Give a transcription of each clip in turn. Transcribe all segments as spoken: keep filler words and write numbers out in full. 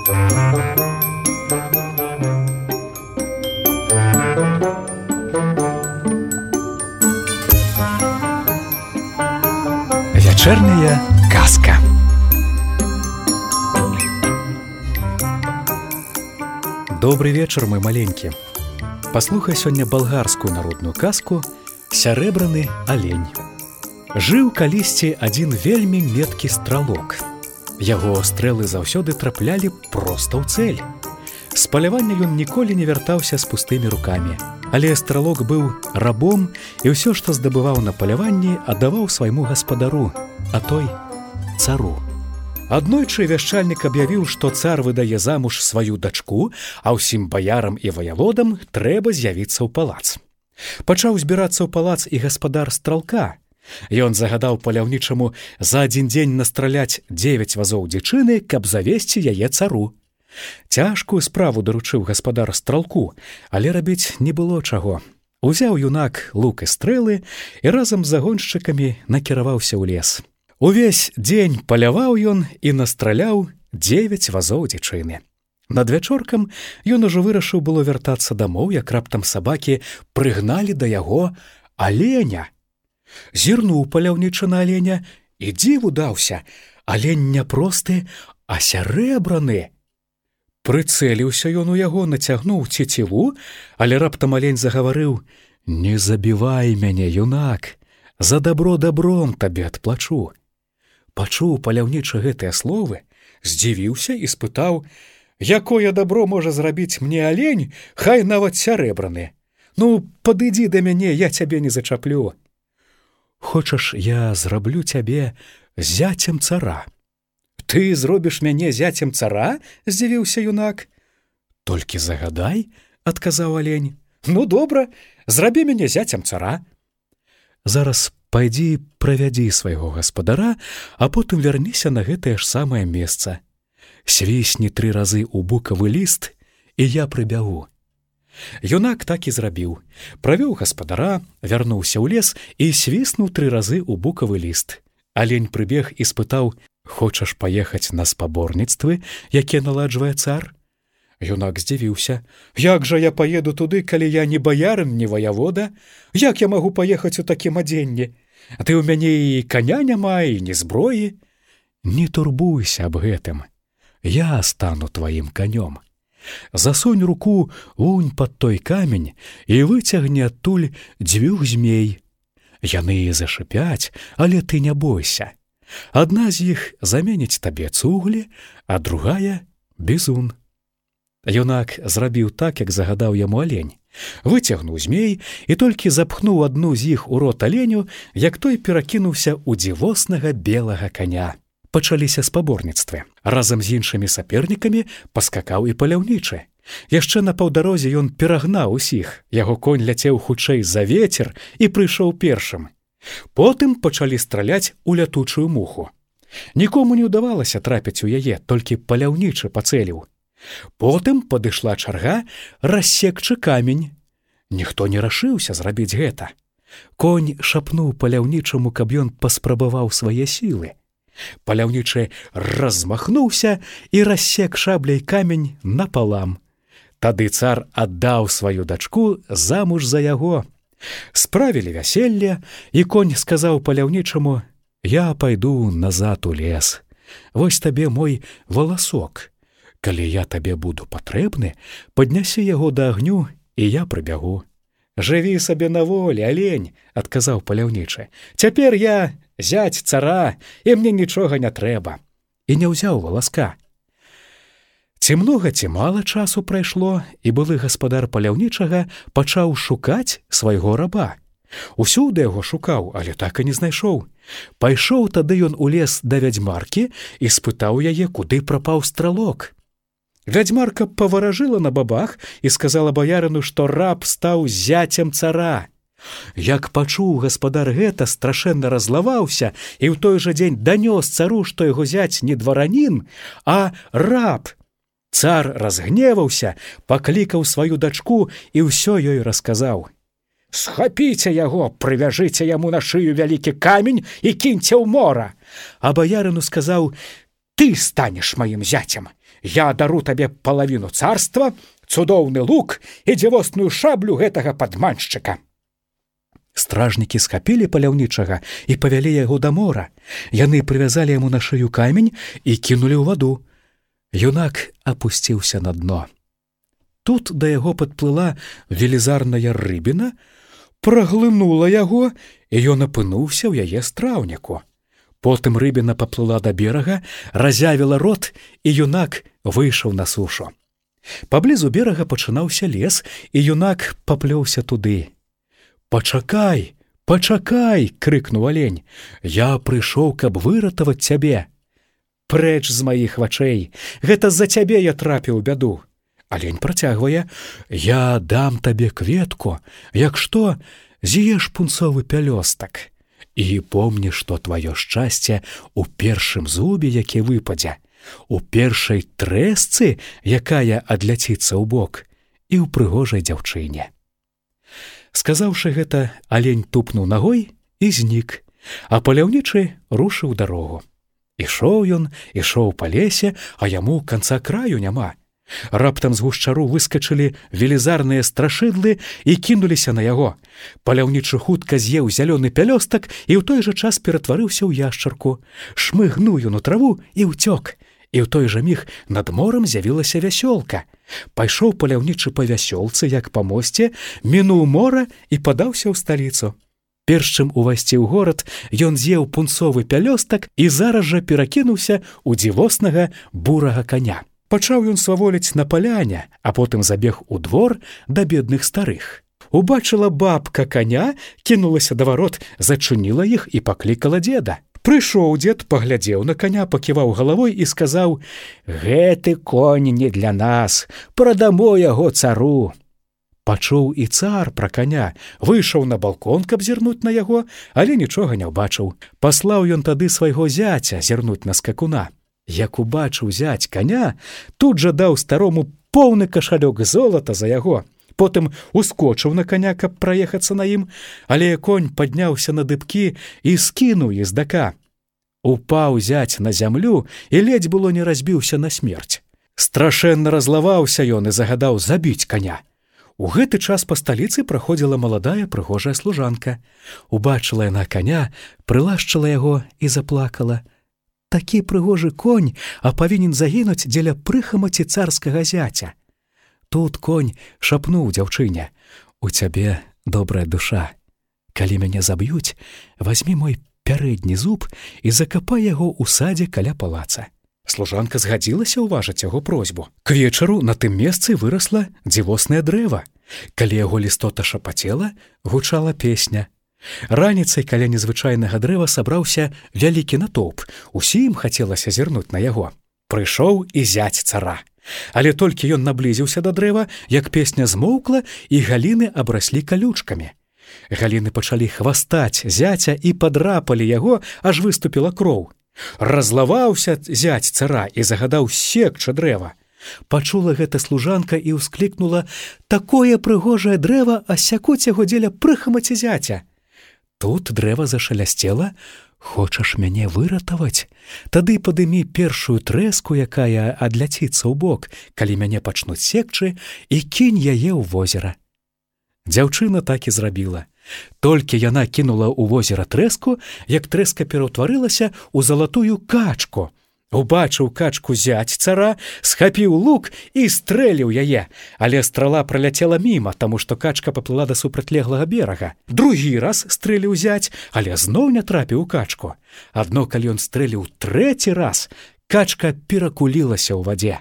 Вячэрняя казка. Добры вечар, мой маленькі. Паслухай сёння балгарскую народную казку «Сярэбраны алень». Жыў калісьці адзін вельмі меткі стралок. Яго стрэлы заўсёды траплялі проста ў цэль. З палявання ён ніколі не вяртаўся з пустымі рукамі. Але стралок быў рабом і ўсё, што здабываў на паляванні, аддаваў свайму гаспадару, а той цару. Аднойчы вяшчальнік аб'явіў, што цар выдае замуж сваю дачку, а ўсім баярам і ваяводам трэба з'явіцца ў палац. Пачаў збірацца ў палац і гаспадар стралка. Ён загадаў паляўнічаму за адзін дзень настраляць дзевяць вазоў дзічыны, каб завесці яе цару. Цяжкую справу даручыў гаспадар стралку, але рабіць не было чаго. Узяў юнак лук і стрэлы і разам з загоншчыкамі накіраваўся ў лес. Увесь дзень паляваў ён і настраляў дзевяць вазоў дзічыны. Над вячоркам ён ужо вырашыў было вяртацца дамоў, як раптам сабакі прыгналі да яго аленя. Зірнуў паляўнічы на аленя і дзіву даўся. Алень не просты, а сярэбраны. Прыцэліўся ён у яго, нацягнуў цеціву, але раптам алень загаварыў: «Не забівай мяне, юнак, за дабро дабром табе адплачу». Пачуў паляўнічы гэтыя словы, здзівіўся і спытаў: «Якое дабро можа зрабіць мне алень, хай нават сярэбраны? Ну, падыдзі да мяне, я цябе не зачаплю». «Хочаш, я зраблю цябе зяцем цара?» «Ты зробіш мяне зяцем цара?» – здзівіўся юнак. «Толькі загадай», – адказаў алень. «Ну, добра, зрабі мяне зяцем цара». «Зараз пайдзі правядзі свайго гаспадара, а потым вярніся на гэтае ж самае месца. Свісні тры разы ў букавы ліст, і я прыбягу». Юнак так і зрабіў. Правёў гаспадара, вярнуўся ў лес і свіснуў тры разы ў букавы ліст. Алень прыбег і спытаў: «Хочаш паехаць на спаборніцтвы, якія наладжвае цар?» Юнак здзівіўся. «Як жа я паеду туды, калі я не баярын, не ваявода? Як я магу паехаць у такім адзенні? Ты ў мяне і каня няма, і ні зброі». «Не турбуйся аб гэтым. Я стану тваім канём. Засунь руку вунь пад той камень і выцягні адтуль дзвюх змей. Яны зашыпяць, але ты не бойся. Адна з іх заменіць табе цуглі, а другая – бізун». Юнак зрабіў так, як загадаў яму алень. Выцягнуў змей і толькі запхнуў адну з іх у рот аленю, як той перакінуўся ў дзівоснага белага каня. Пачаліся спаборніцтвы. Разам з іншымі сапернікамі паскакаў і паляўнічы. Яшчэ на паўдарозе ён перагнаў усіх. Яго конь ляцеў хутчэй за вецер і прыйшоў першым. Потым пачалі страляць у лятучую муху. Нікому не ўдавалася трапіць у яе, толькі паляўнічы пацэліў. Потым падышла чарга рассекчы камень. Ніхто не рашыўся зрабіць гэта. Конь шапнуў паляўнічаму, каб ён паспрабаваў свае сілы. Паляўнічы размахнуўся і рассек шабляй камень напалам. Тады цар аддаў сваю дачку замуж за яго. Справілі вяселле, і конь сказаў паляўнічаму: «Я пайду назад у лес. Вось табе мой валасок. Калі я табе буду патрэбны, паднясі яго да агню, і я прыбягу». «Жыві сабе на волі, алень», – адказаў паляўнічы. «Цяпер я зяць цара, і мне нічога не трэба». І не ўзяў валаска. Ці многа, ці мала часу прайшло, і былы гаспадар паляўнічага пачаў шукаць свайго раба. Усюды яго шукаў, але так і не знайшоў. Пайшоў тады ён у лес да вядзьмаркі і спытаў яе, куды прапаў стралок. Вядзьмарка паваражыла на бабах і сказала баярыну, што раб стаў зяцем цара. Як пачуў гаспадар гэта, страшэнна разлаваўся і ў той жа дзень данёс цару, што яго зяць не дваранін, а раб. Цар разгневаўся, паклікаў сваю дачку і ўсё ёй расказаў. «Схапіце яго, прывяжыце яму на шыю вялікі камень і кіньце ў мора». А баярыну сказаў: «Ты станеш маім зяцем. Я дару табе палавіну царства, цудоўны лук і дзівосную шаблю гэтага падманшчыка. Стражнікі схапілі паляўнічага і павялі яго да мора. Яны прывязалі яму на шыю камень і кінулі ў ваду. Юнак апусціўся на дно. Тут да яго падплыла велізарная рыбіна, праглынула яго, і ён апынуўся ў яе страўніку. Потым рыбіна паплыла да берага, разявіла рот, і юнак выйшаў на сушу. Паблізу берага пачынаўся лес, і юнак паплёўся туды. «Пачакай, пачакай!» — крыкнуў алень. «Я прыйшоў, каб выратаваць цябе». «Прэч з маіх вачэй! Гэта з-за цябе я трапіў у бяду!» Алень працягвае. «Я дам табе кветку, як што, з'еш пунцовы пялёстак. І помні, што тваё шчасце у першым зубе, які выпадзе, у першай трэсцы, якая адляціцца ў бок, і ў прыгожай дзяўчыне». Сказаўшы гэта, алень тупнуў нагой і знік, а паляўнічы рушыў дарогу. Ішоў ён, ішоў па лесе, а яму канца краю няма. Раптам з гушчару выскачылі велізарныя страшыдлы і кінуліся на яго. Паляўнічы хутка з'еў зялёны пялёстак і ў той жа час ператварыўся ў яшчарку. Шмыгнуў ён у траву і ўцёк. І ў той жа міг над морам з'явілася вясёлка. Пайшоў паляўнічы па вясёлцы, як па мосце, мінуў мора і падаўся ў сталіцу. Перш чым увайсці ў горад, ён з'еў пунцовы пялёстак і зараз жа перакінуўся ў дзівоснага бурага каня. Пачаў ён сваволіць на паляне, а потым забег у двор да бедных старых. Убачыла бабка каня, кінулася да варот, зачыніла іх і паклікала дзеда. Прыйшоў дзед, паглядзеў на каня, паківаў галавой і сказаў: «Гэты конь не для нас, прадамо яго цару». Пачуў і цар пра каня, выйшаў на балкон, каб зірнуць на яго, але нічога не ўбачыў. Паслаў ён тады свайго зяця зірнуць на скакуна. Як убачыў зяць каня, тут жа даў старому поўны кашалёк золата за яго. Потым ускочыў на каня, каб праехацца на ім, але конь падняўся на дыбкі і скінуў ездака. Упаў зяць на зямлю і ледзь было не разбіўся на смерць. Страшэнна разлаваўся ён і загадаў забіць каня. У гэты час па сталіцы праходзіла маладая прыгожая служанка. Убачыла яна каня, прылашчыла яго і заплакала. Такі прыгожы конь, а павінен загінуць дзеля прыхамаці царскага зяця. Тут конь шапнуў дзяўчыне: «У цябе добрая душа. Калі мяне заб'юць, вазьмі мой пярэдні зуб і закапай яго ў садзе каля палаца». Служанка згадзілася ўважыць яго просьбу. К вечару на тым месцы вырасла дзівоснае дрэва. Калі яго лістота шапацела, гучала песня. Раніцай каля незвычайнага дрэва сабраўся вялікі натоўп. Усім хацелася зірнуць на яго. Прыйшоў і зяць цара. Але толькі ён наблізіўся да дрэва, як песня змоўкла, і галіны абраслі калючкамі. Галіны пачалі хвастаць зяця і падрапалі яго, аж выступіла кроў. Разлаваўся зяць цара і загадаў секчы дрэва. Пачула гэта служанка і ўсклікнула: «Такое прыгожае дрэва, а сякуць яго дзеля прыхамаці зяця». Тут дрэва зашалясцела: «Хочаш мяне выратаваць? Тады падымі першую трэску, якая адляціцца ў бок, калі мяне пачнуць секчы, і кінь яе ў возера». Дзяўчына так і зрабіла. Толькі яна кінула ў возера трэску, як трэска пераўтварылася ў залатую качку. Убачыў качку зяць цара, схапіў лук і стрэліў яе, але страла праляцела міма, таму што качка паплыла да супрацьлеглага берага. Другі раз стрэліў зяць, але зноў не трапіў у качку. Адно калі ён стрэліў трэці раз, качка перакулілася ў вадзе.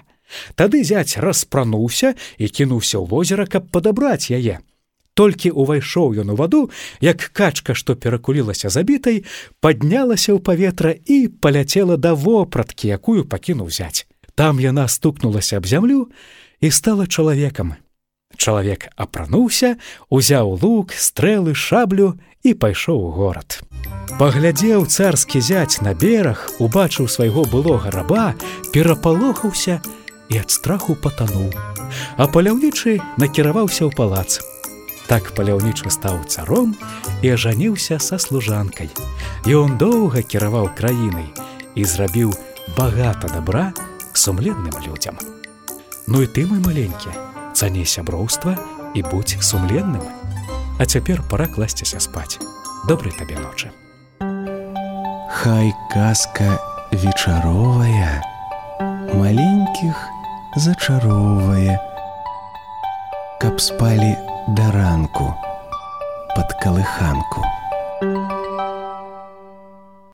Тады зяць распрануўся і кінуўся ў возера, каб падабраць яе. Толькі ўвайшоў ён у ваду, як качка, што перакулілася забітай, паднялася ў паветра і паляцела да вопраткі, якую пакінуў зяць. Там яна стукнулася аб зямлю і стала чалавекам. Чалавек апрануўся, узяў лук, стрэлы, шаблю і пайшоў у горад. Паглядзеў царскі зяць на бераг, убачыў свайго былога раба, перапалохаўся і ад страху патануў. А паляўнічы накіраваўся ў палац. Так паляўнічы стаў царом і ажаніўся са служанкай. І он доўга кіраваў краінай і зрабіў багата дабра сумленным людзям. Ну і ты, мой маленькі, цані сяброўства і будзь сумленным. А цяпер пара класціся спаць. Добрай табе ночы. Хай казка вечаровая маленькіх зачароўвае, каб спалі да ранку пад калыханку.